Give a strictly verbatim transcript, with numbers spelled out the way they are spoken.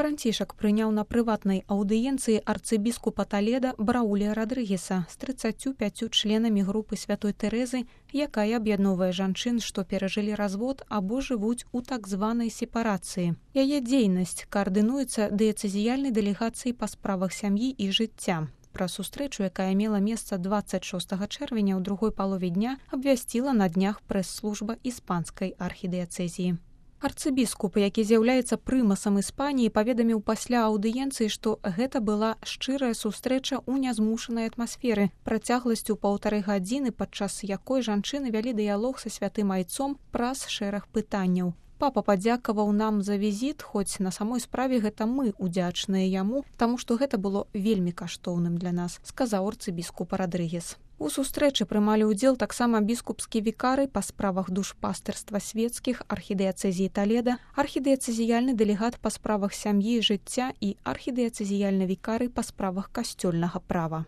Францішак прыняў на прыватнай аўдыенцыі арцыбіскупа Толеда Браўля Радрыгеса з трыццаццю пяццю членамі групы святой Тэрэзы, якая аб'ядноўвае жанчын, што перажылі развод або жывуць у так званай сепарацыі. Яе дзейнасць каардынуецца дыяцэзіяльнай дэлегацыяй па справах сям'і і жыцця. Пра сустрэчу, якая мела месца дваццаць шостага чэрвеня ў другой палове дня, абвясціла на днях прэс-служба іспанскай архідыяцэзіі. Арцыбіскуп, які з'яўляецца прымасам Іспаніі, паведаміў пасля аўдыенцыі, што гэта была шчырая сустрэча ў нязмушанай атмасферы, працягласцю паўтары гадзіны, падчас якой жанчыны вялі дыялог са святым айцом праз шэраг пытанняў. Папа падзякаваў нам за візіт, хоць на самой справе гэта мы удзячныя яму, таму што гэта было вельмі каштоўным для нас, сказаў арцыбіскуп Радрыгес. У сустрэчы прымалі ўдзел таксама біскупскі вікары па справах душпастырства свецкіх архідыяцэзіі Толеда, архідыяцэзіяльны дэлегат па справах сям'і і жыцця і архідыяцэзіяльны вікары па справах касцёльнага права.